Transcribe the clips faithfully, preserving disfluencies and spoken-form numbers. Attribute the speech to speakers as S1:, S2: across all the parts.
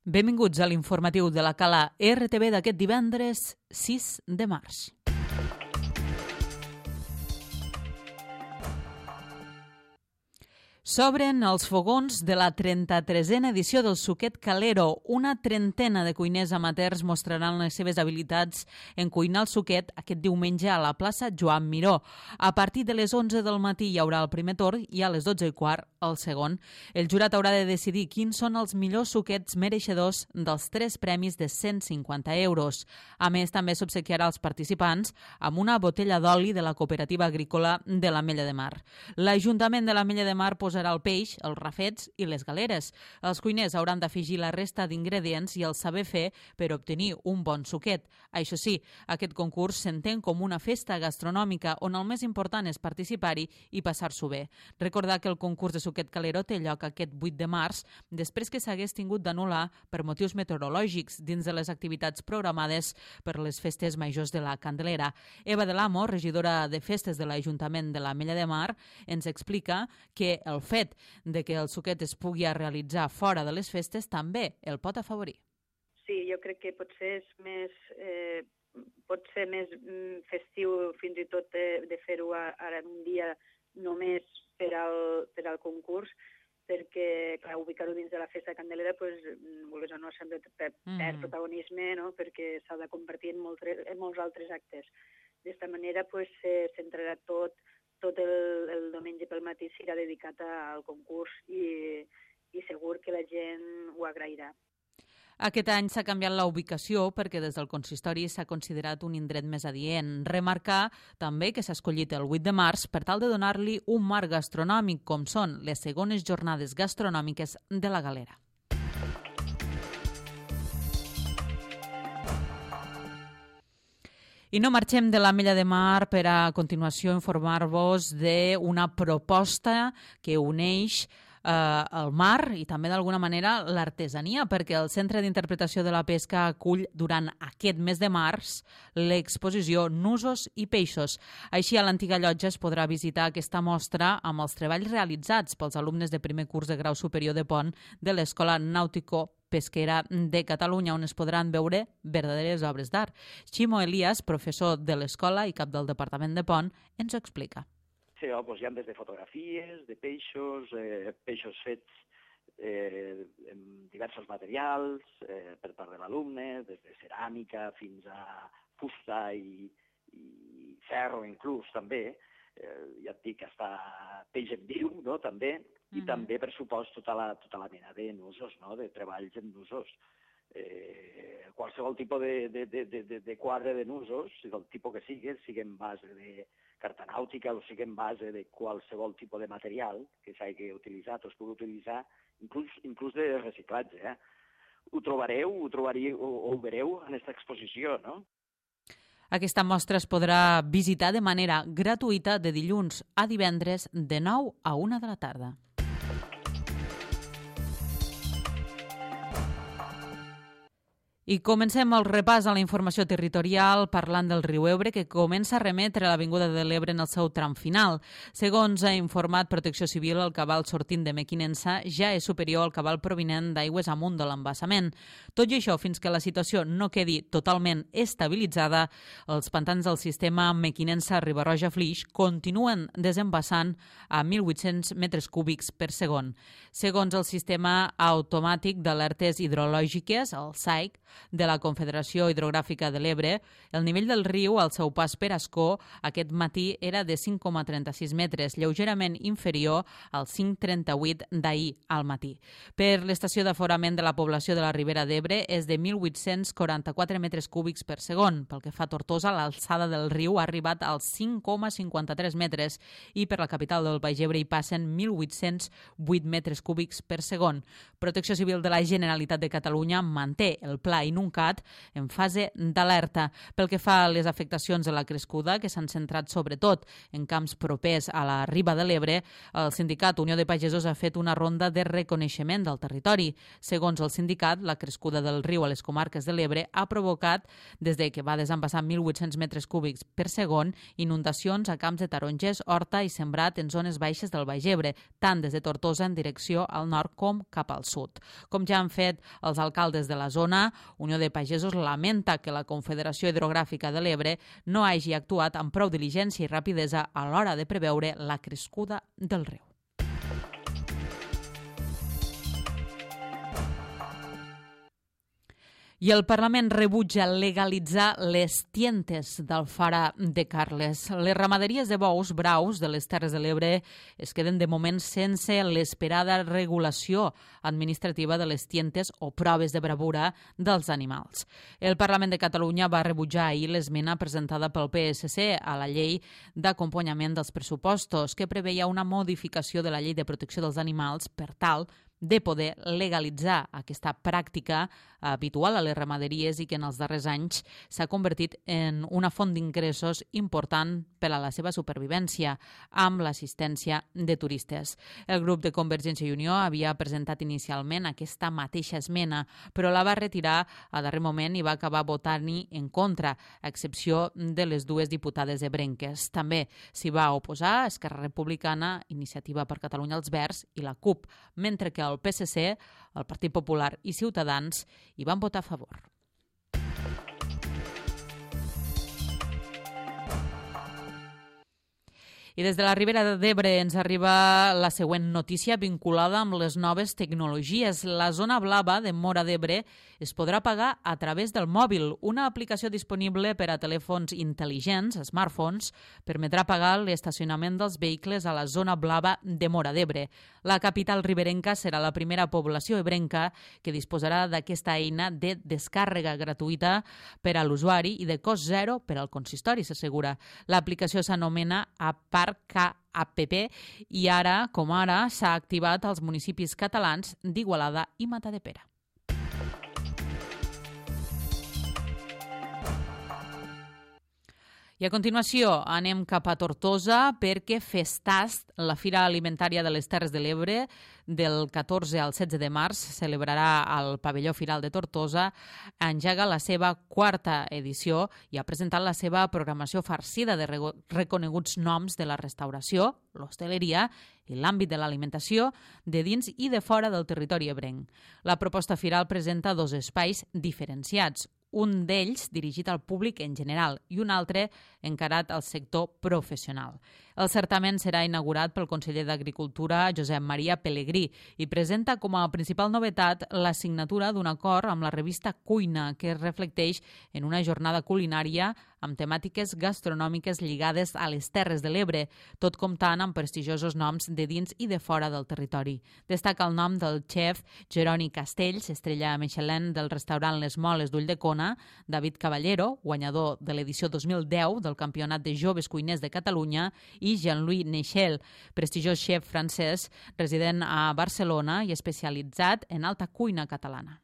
S1: Benvinguts a l'informatiu de la Cala R T V d'aquest divendres sis de març. S'obren els fogons de la trenta-tresena edició del Suquet Calero. Una trentena de cuiners amateurs mostraran les seves habilitats en cuinar el suquet aquest diumenge a la plaça Joan Miró. A partir de les onze del matí hi haurà el primer torn i a les dotze i quart el segon. El jurat haurà de decidir quins són els millors suquets mereixedors dels tres premis de cent cinquanta euros. A més, també s'obsequiarà als participants amb una botella d'oli de la cooperativa agrícola de l'Ametlla de Mar. L'Ajuntament de l'Ametlla de Mar posarà el peix, els rafets i les galeres. Els cuiners hauran d'afegir la resta d'ingredients i el saber fer per obtenir un bon suquet. Això sí, aquest concurs s'entén com una festa gastronòmica on el més important és participar-hi i passar-s'ho bé. Recordar que el concurs de Suquet Calero té lloc aquest vuit de març, després que s'hagués tingut d'anul·lar per motius meteorològics dins de les activitats programades per les festes majors de la Candelera. Eva de l'Amo, regidora de festes de l'Ajuntament de l'Ametlla de Mar, ens explica que el fet de que el suquet es pugui realitzar fora de les festes també el pot afavorir.
S2: Sí, jo crec que potser és més, eh, pot ser més festiu fins i tot de, de fer-ho ara un dia només per al, per al concurs, perquè, clar, ubicar-ho dins de la festa candelera, pues, vulguis o no, sempre perd mm. protagonisme, no?, perquè s'ha de convertir en, molt, en molts altres actes. D'esta manera, pues, se centrarà tot tot el, el diumenge pel matí serà dedicat al concurs i, i segur que la gent ho agrairà.
S1: Aquest any s'ha canviat la ubicació perquè des del consistori s'ha considerat un indret més adient. Remarcar també que s'ha escollit el vuit de març per tal de donar-li un marc gastronòmic, com són les segones jornades gastronòmiques de la Galera. I no marxem de l'Ametlla de Mar per a continuació informar-vos d'una proposta que uneix eh, el mar i també d'alguna manera l'artesania, perquè el Centre d'Interpretació de la Pesca acull durant aquest mes de març l'exposició Nusos i Peixos. Així, a l'antiga llotja es podrà visitar aquesta mostra amb els treballs realitzats pels alumnes de primer curs de grau superior de pont de l'Escola Nàutico Pesquera de Catalunya, on es podran veure verdaderes obres d'art. Ximo Elias, professor de l'escola i cap del Departament de Pont, ens ho explica.
S3: Sí, oh, doncs hi ha des de fotografies, de peixos, eh, peixos fets eh, amb diversos materials eh, per part de l'alumne, des de ceràmica fins a fusta i, i ferro inclús també. Eh, ja et dic, està peix en viu, no?, també, i mm-hmm. també, per supost, tota la, tota la mena de nusos, no?, de treballs en nusos. Eh, qualsevol tipus de, de, de, de, de quadre de nusos, del tipus que sigui, sigui en base de carta nàutica o sigui en base de qualsevol tipus de material que s'hagi utilitzat o es pugui utilitzar, inclús, inclús de reciclatge. Eh? Ho trobareu, ho trobaríeu, o, o ho veureu en aquesta exposició, no?
S1: Aquesta mostra es podrà visitar de manera gratuïta de dilluns a divendres de nou a una de la tarda. I comencem el repàs a la informació territorial parlant del riu Ebre, que comença a remetre a l'Avinguda de l'Ebre en el seu tram final. Segons ha informat Protecció Civil, el cabal sortint de Mequinensa ja és superior al cabal provinent d'aigües amunt de l'embassament. Tot i això, fins que la situació no quedi totalment estabilitzada, els pantans del sistema Mequinensa-Ribarroja-Flix continuen desembassant a mil vuit-cents metres cúbics per segon. Segons el sistema automàtic d'alertes hidrològiques, el S A I C, de la Confederació Hidrogràfica de l'Ebre, el nivell del riu al seu pas per Ascó aquest matí era de cinc coma trenta-sis metres, lleugerament inferior al cinc coma trenta-vuit d'ahir al matí. Per l'estació d'aforament de la població de la Ribera d'Ebre és de mil vuit-cents quaranta-quatre metres cúbics per segon. Pel que fa a Tortosa, l'alçada del riu ha arribat als cinc coma cinquanta-tres metres i per la capital del Baix Ebre hi passen mil vuit-cents vuit metres cúbics per segon. Protecció Civil de la Generalitat de Catalunya manté el pla Inuncat en fase d'alerta. Pel que fa a les afectacions de la crescuda, que s'han centrat sobretot en camps propers a la riba de l'Ebre, el sindicat Unió de Pagesos ha fet una ronda de reconeixement del territori. Segons el sindicat, la crescuda del riu a les comarques de l'Ebre ha provocat, des de que va desembassar mil vuit-cents metres cúbics per segon, inundacions a camps de tarongers, horta i sembrat en zones baixes del Baix Ebre, tant des de Tortosa en direcció al nord com cap al sud. Com ja han fet els alcaldes de la zona, Unió de Pagesos lamenta que la Confederació Hidrogràfica de l'Ebre no hagi actuat amb prou diligència i rapidesa a l'hora de preveure la crescuda del riu. I el Parlament rebutja legalitzar les tientes d'Alfara de Carles. Les ramaderies de bous braus de les Terres de l'Ebre es queden de moment sense l'esperada regulació administrativa de les tientes o proves de bravura dels animals. El Parlament de Catalunya va rebutjar ahir l'esmena presentada pel P S C a la llei d'acompanyament dels pressupostos, que preveia una modificació de la llei de protecció dels animals per tal de poder legalitzar aquesta pràctica habitual a les ramaderies i que en els darrers anys s'ha convertit en una font d'ingressos important per a la seva supervivència, amb l'assistència de turistes. El grup de Convergència i Unió havia presentat inicialment aquesta mateixa esmena, però la va retirar a darrer moment i va acabar votant-hi en contra, a excepció de les dues diputades ebrenques. També s'hi va oposar Esquerra Republicana, Iniciativa per Catalunya els Verds i la CUP, mentre que el P S C, el Partit Popular i Ciutadans hi van votar a favor. I des de la Ribera d'Ebre ens arriba la següent notícia vinculada amb les noves tecnologies. La zona blava de Móra d'Ebre es podrà pagar a través del mòbil. Una aplicació disponible per a telèfons intel·ligents, smartphones, permetrà pagar l'estacionament dels vehicles a la zona blava de Móra d'Ebre. La capital riberenca serà la primera població ebrenca que disposarà d'aquesta eina de descàrrega gratuïta per a l'usuari i de cost zero per al consistori, s'assegura. L'aplicació s'anomena Apar App i ara, com ara, s'ha activat als municipis catalans d'Igualada i Matadepera. I a continuació anem cap a Tortosa perquè Festast, la Fira Alimentària de les Terres de l'Ebre, del catorze al setze de març, celebrarà al Pavelló Firal de Tortosa, engega la seva quarta edició i ha presentat la seva programació farcida de reconeguts noms de la restauració, l'hostaleria i l'àmbit de l'alimentació de dins i de fora del territori ebrenc. La proposta firal presenta dos espais diferenciats, un d'ells dirigit al públic en general i un altre encarat al sector professional. El certamen serà inaugurat pel conseller d'Agricultura, Josep Maria Pelegrí, i presenta com a principal novetat la signatura d'un acord amb la revista Cuina, que es reflecteix en una jornada culinària amb temàtiques gastronòmiques lligades a les Terres de l'Ebre, tot comptant amb prestigiosos noms de dins i de fora del territori. Destaca el nom del xef Jeroni Castells, estrella Michelin del restaurant Les Moles d'Ulldecona, David Caballero, guanyador de l'edició dos mil deu del Campionat de Joves Cuiners de Catalunya, i Jean-Louis Nechel, prestigiós xef francès resident a Barcelona i especialitzat en alta cuina catalana.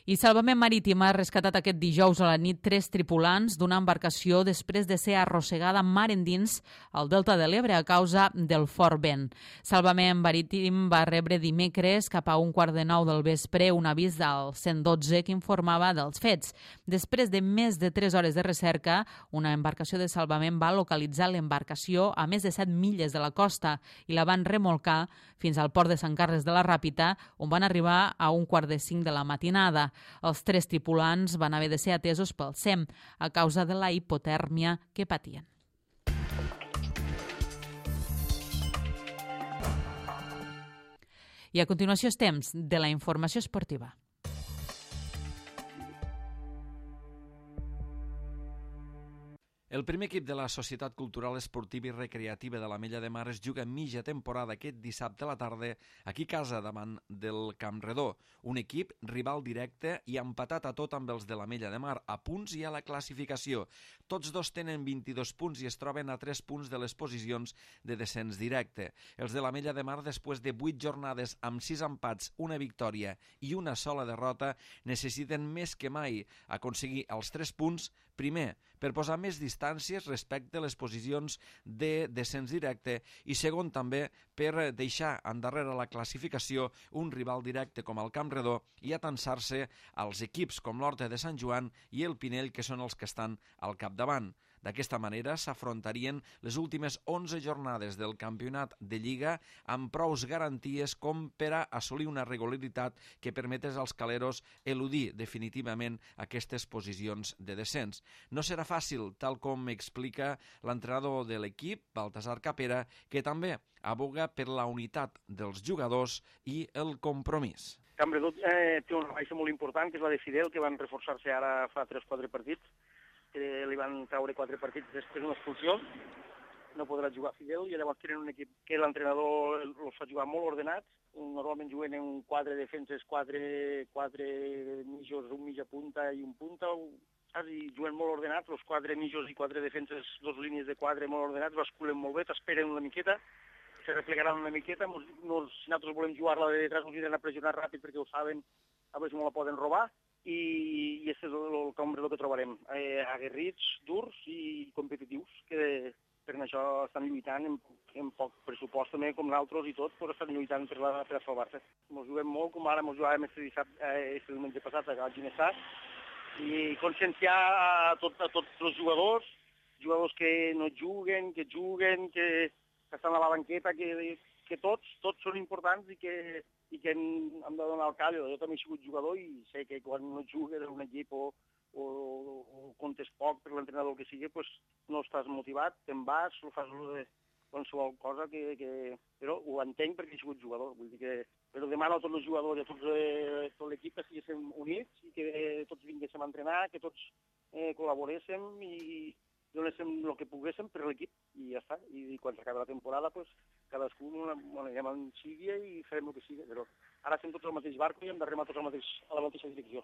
S1: I Salvament Marítim ha rescatat aquest dijous a la nit tres tripulants d'una embarcació després de ser arrossegada mar endins al Delta de l'Ebre a causa del fort vent. Salvament Marítim va rebre dimecres cap a un quart de nou del vespre un avís del cent dotze que informava dels fets. Després de més de tres hores de recerca, una embarcació de salvament va localitzar l'embarcació a més de set milles de la costa i la van remolcar fins al port de Sant Carles de la Ràpita, on van arribar a un quart de cinc de la matinada. Els tres tripulants van haver de ser atesos pel S E M a causa de la hipotèrmia que patien. I a continuació és temps de la informació esportiva.
S4: El primer equip de la Societat Cultural Esportiva i Recreativa de l'Ametlla de Mar es juga mitja temporada aquest dissabte a la tarda aquí a casa davant del Camp Redó. Un equip rival directe i empatat a tot amb els de l'Ametlla de Mar, a punts i a la classificació. Tots dos tenen vint-i-dos punts i es troben a tres punts de les posicions de descens directe. Els de l'Ametlla de Mar, després de vuit jornades amb sis empats, una victòria i una sola derrota, necessiten més que mai aconseguir els tres punts, primer, per posar més distàncies respecte a les posicions de descens directe i segon també per deixar endarrere la classificació un rival directe com el Camp Redó i atansar-se als equips com l'Horta de Sant Joan i el Pinell, que són els que estan al capdavant. D'aquesta manera s'afrontarien les últimes onze jornades del campionat de Lliga amb prous garanties com per a assolir una regularitat que permetés als caleros eludir definitivament aquestes posicions de descens. No serà fàcil, tal com explica l'entrenador de l'equip, Baltasar Capera, que també aboga per la unitat dels jugadors i el compromís.
S5: Camp Redó eh, té una baixa molt important, que és la de Fidel, que van reforçar-se ara fa tres o quatre partits, que li van treure quatre partits després d'una expulsió, no podrà jugar Fidel, i llavors tenen un equip que l'entrenador els fa jugar molt ordenats, normalment juguen en quatre defenses, quatre, quatre mitjos, un mitja punta i un punta, i juguen molt ordenats, els quatre mitjos i quatre defenses, dos línies de quatre molt ordenats, basculen molt bé, t'esperen una miqueta, se replegaran una miqueta, nos, nos, si nosaltres volem jugar-la de detrás, ens aniran a pressionar ràpid perquè ho saben, a veure si no la poden robar, i, i aquest és el, el Camp Redó que trobarem, eh, aguerrits, durs i competitius, que per això estan lluitant en, en poc pressupost també, com nosaltres i tot, però estan lluitant per, la, per a salvar-se. Ens juguem molt, com ara ens jugàvem este dissabte, eh, este diumenge passat a Ginestar, i conscienciar a, tot, a tots els jugadors, jugadors que no juguen, que juguen, que, que estan a la banqueta, que, que tots, tots són importants i que, i que hem, hem de donar el callo. Jo també he sigut jugador i sé que quan no jugues en un equip o, o, o comptes poc per l'entrenador que sigui, pues no estàs motivat, te'n vas, ho fas de qualsevol cosa que, que... Però ho entenc perquè he sigut jugador. Vull dir que... Però demano a tots els jugadors i a tots, eh, tot l'equip que estiguéssim units i que eh, tots vinguéssim a entrenar, que tots eh, col·laboréssim i donéssim el que poguéssim per l'equip i ja està. I, i quan s'acabi la temporada, pues, cadascú bueno, anem en sigui i farem el que sigui. Però ara estem tots al mateix barco i hem de remar tots al mateix, a la mateixa direcció.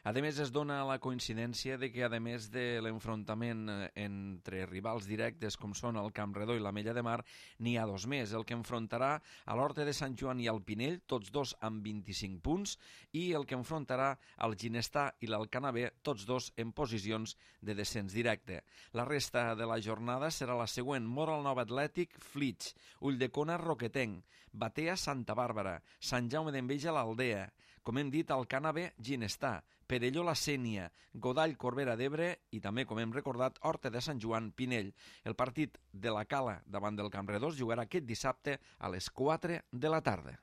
S4: A més, es dona la coincidència de que, a més de l'enfrontament entre rivals directes com són el Camp Redó i l'Ametlla de Mar, n'hi ha dos més. El que enfrontarà a l'Horta de Sant Joan i al Pinell, tots dos amb vint-i-cinc punts, i el que enfrontarà al Ginestar i l'Alcanavè, tots dos en posicions de descens directe. La resta de la jornada serà la següent: Moral Nova Atlètic, Flix, Ulldecona, Roquetenc, Batea, Santa Bàrbara, Sant Jaume d'Enveja, l'Aldea, com hem dit, Alcanavè, Ginestar, Perelló, la Sénia, Godall, Corbera d'Ebre i també, com hem recordat, Horta de Sant Joan, Pinell. El partit de la Cala davant del Camp Redó es jugarà aquest dissabte a les quatre de la tarda.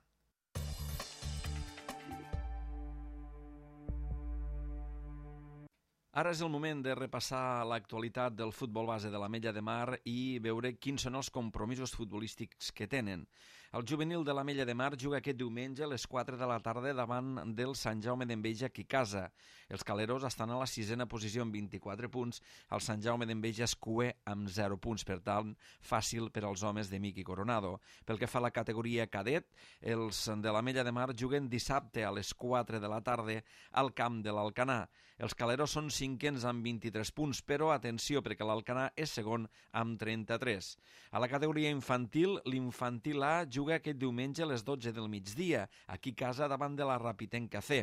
S4: Ara és el moment de repassar l'actualitat del futbol base de l'Ametlla de Mar i veure quins són els compromisos futbolístics que tenen. El juvenil de l'Ametlla de Mar juga aquest diumenge a les quatre de la tarda davant del Sant Jaume d'Enveja aquí a casa. Els caleros estan a la sisena posició amb vint-i-quatre punts, el Sant Jaume d'Enveja és cuer amb zero punts, per tant, fàcil per als homes de Miqui Coronado. Pel que fa a la categoria cadet, els de l'Ametlla de Mar juguen dissabte a les quatre de la tarda al camp de l'Alcanar. Els caleros són cinquens amb vint-i-tres punts, però atenció, perquè l'Alcanar és segon amb trenta-tres. A la categoria infantil, l'infantil A juga aquest diumenge a les dotze del migdia, aquí a casa davant de la Rapitenca C.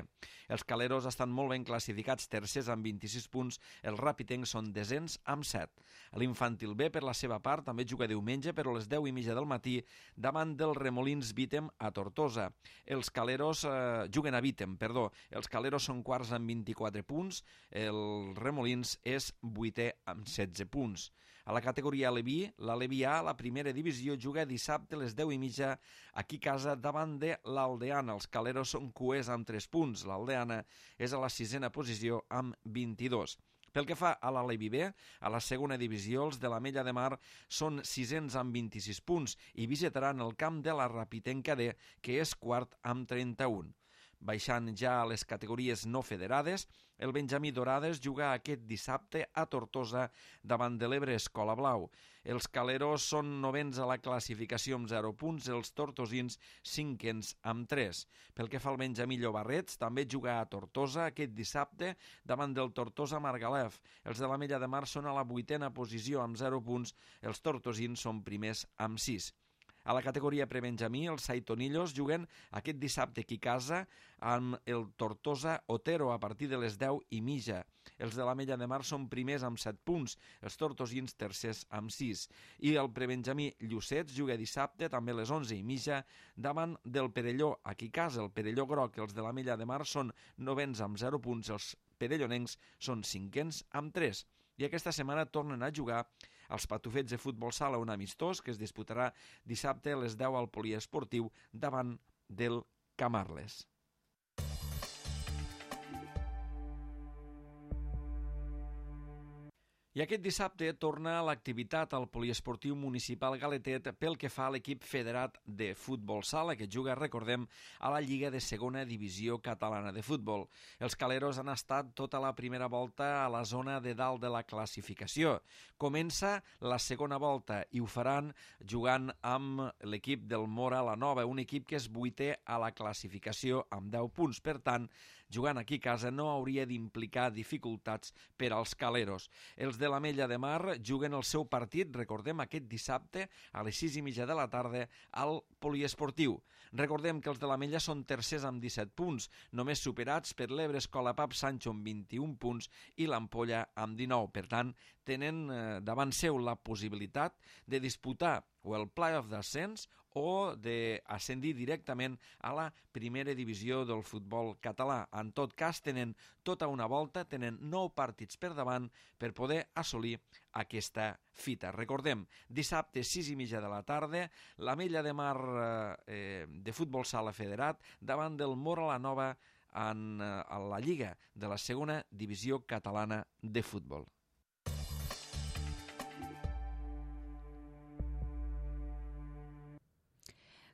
S4: Els caleros estan molt ben classificats, tercers amb vint-i-sis punts, els rapitencs són desens amb set. L'infantil B, per la seva part, també juga diumenge, però a les deu i mitja del matí, davant dels Remolins Vítem a Tortosa. Els caleros eh, juguen a Vítem, perdó. Els caleros són quarts amb vint-i-quatre punts, el Remolins és vuitè amb setze punts. A la categoria Aleví, l'Aleví A, la primera divisió, juga dissabte a les deu i mitja aquí a casa davant de l'Aldeana. Els caleros són cuers amb tres punts. L'Aldeana és a la sisena posició amb vint-i-dos. Pel que fa a l'Aleví B, a la segona divisió, els de l'Ametlla de Mar són sisens amb vint-i-sis punts i visitaran el camp de la Rapitenca D, que és quart amb trenta-un. Baixant ja a les categories no federades, el Benjamí Dorades juga aquest dissabte a Tortosa davant de l'Ebre Escola Blau. Els caleros són novens a la classificació amb zero punts, els tortosins cinquens amb tres. Pel que fa al Benjamí Llobarrets, també juga a Tortosa aquest dissabte davant del Tortosa Margalef. Els de l'Ametlla de Mar són a la vuitena posició amb zero punts, els tortosins són primers amb sis. A la categoria prebenjamí, els Saitonillos juguen aquest dissabte aquí a casa amb el Tortosa Otero a partir de les deu i mitja. Els de l'Ametlla de Mar són primers amb set punts, els tortosins tercers amb sis. I el prebenjamí Llucets juga dissabte també a les onze i mitja davant del Perelló aquí a casa. El Perelló Groc, els de l'Ametlla de Mar són novens amb zero punts, els perellonencs són cinquens amb tres. I aquesta setmana tornen a jugar els Patufets de Futbol Sala, un amistós que es disputarà dissabte a les deu al poliesportiu davant del Camarles. I aquest dissabte torna l'activitat al poliesportiu municipal Galetet pel que fa a l'equip federat de futbol sala, que juga, recordem, a la Lliga de Segona Divisió Catalana de Futbol. Els caleros han estat tota la primera volta a la zona de dalt de la classificació. Comença la segona volta i ho faran jugant amb l'equip del Mora la Nova, un equip que és vuitè a la classificació amb deu punts. Per tant, jugant aquí a casa no hauria d'implicar dificultats per als caleros. Els de l'Ametlla de Mar juguen el seu partit, recordem, aquest dissabte a les sis i mitja de la tarda al poliesportiu. Recordem que els de l'Ametlla són tercers amb disset punts, només superats per l'Ebre Escola Pap Sancho amb vint-i-un punts i l'Ampolla amb dinou. Per tant, tenen eh, davant seu la possibilitat de disputar o el play-off d'ascens o d'ascendir directament a la primera divisió del futbol català. En tot cas, tenen tota una volta, tenen nou partits per davant per poder assolir aquesta fita. Recordem, dissabte, sis i mitja de la tarda, l'Ametlla de Mar eh, de futbol sala federat davant del Mora la Nova en, eh, a la Lliga de la segona divisió catalana de futbol.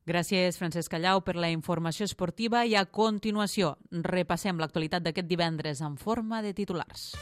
S1: Gràcies, Francesc Callau, per la informació esportiva i a continuació repassem l'actualitat d'aquest divendres en forma de titulars.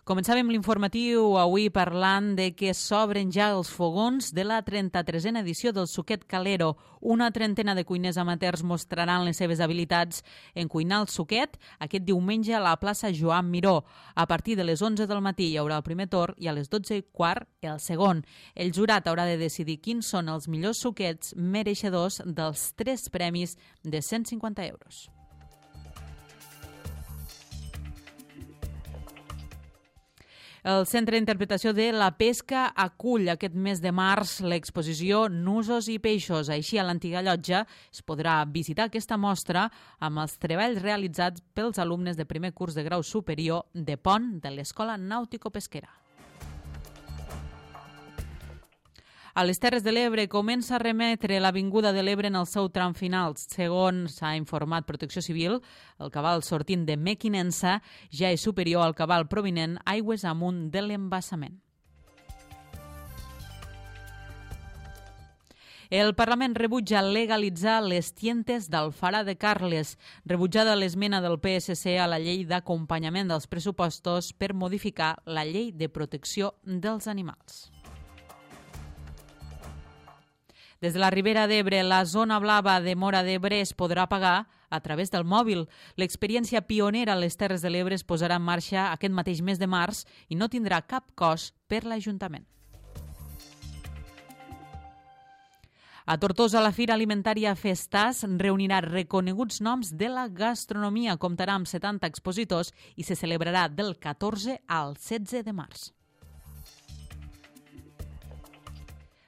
S1: Començàvem l'informatiu avui parlant de que s'obren ja els fogons de la trenta-tresena edició del Suquet Calero. Una trentena de cuiners amateurs mostraran les seves habilitats en cuinar el suquet aquest diumenge a la plaça Joan Miró. A partir de les onze del matí hi haurà el primer torn i a les dotze i quart el segon. El jurat haurà de decidir quins són els millors suquets mereixedors dels tres premis de cent cinquanta euros. El Centre d'Interpretació de la Pesca acull aquest mes de març l'exposició Nusos i Peixos. Així, a l'antiga llotja es podrà visitar aquesta mostra amb els treballs realitzats pels alumnes de primer curs de grau superior de Pont de l'Escola Nàutico-Pesquera. A les Terres de l'Ebre comença a remetre l'Avinguda de l'Ebre en el seu tram final. Segons s'ha informat Protecció Civil, el cabal sortint de Mequinensa ja és superior al cabal provinent aigües amunt de l'embassament. El Parlament rebutja legalitzar les tientes d'Alfara de Carles. Rebutjada l'esmena del P S C a la llei d'acompanyament dels pressupostos per modificar la llei de protecció dels animals. Des de la Ribera d'Ebre, la zona blava de Móra d'Ebre es podrà pagar a través del mòbil. L'experiència pionera a les Terres de l'Ebre es posarà en marxa aquest mateix mes de març i no tindrà cap cost per l'Ajuntament. A Tortosa, la Fira Alimentària Festàs reunirà reconeguts noms de la gastronomia. Comptarà amb setanta expositors i se celebrarà del catorze al setze de març.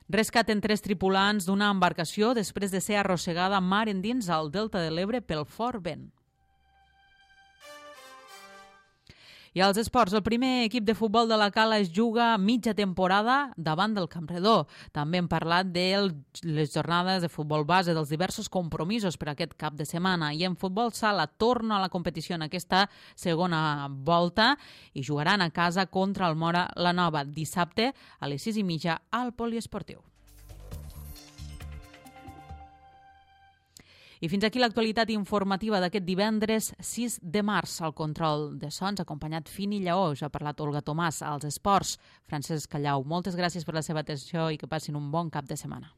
S1: Rescat en tres tripulants d'una embarcació després de ser arrossegada mar endins al Delta de l'Ebre pel fort vent. I als esports, el primer equip de futbol de la Cala es juga mitja temporada davant del Campredó. També hem parlat de les jornades de futbol base, dels diversos compromisos per aquest cap de setmana. I en futbol sala torna a la competició en aquesta segona volta i jugaran a casa contra el Mora la Nova dissabte a les sis i mitja al poliesportiu. I fins aquí l'actualitat informativa d'aquest divendres sis de març. Al control de sons, acompanyat Fini Lleó, ja ha parlat Olga Tomàs, als esports, Francesc Callau. Moltes gràcies per la seva atenció i que passin un bon cap de setmana.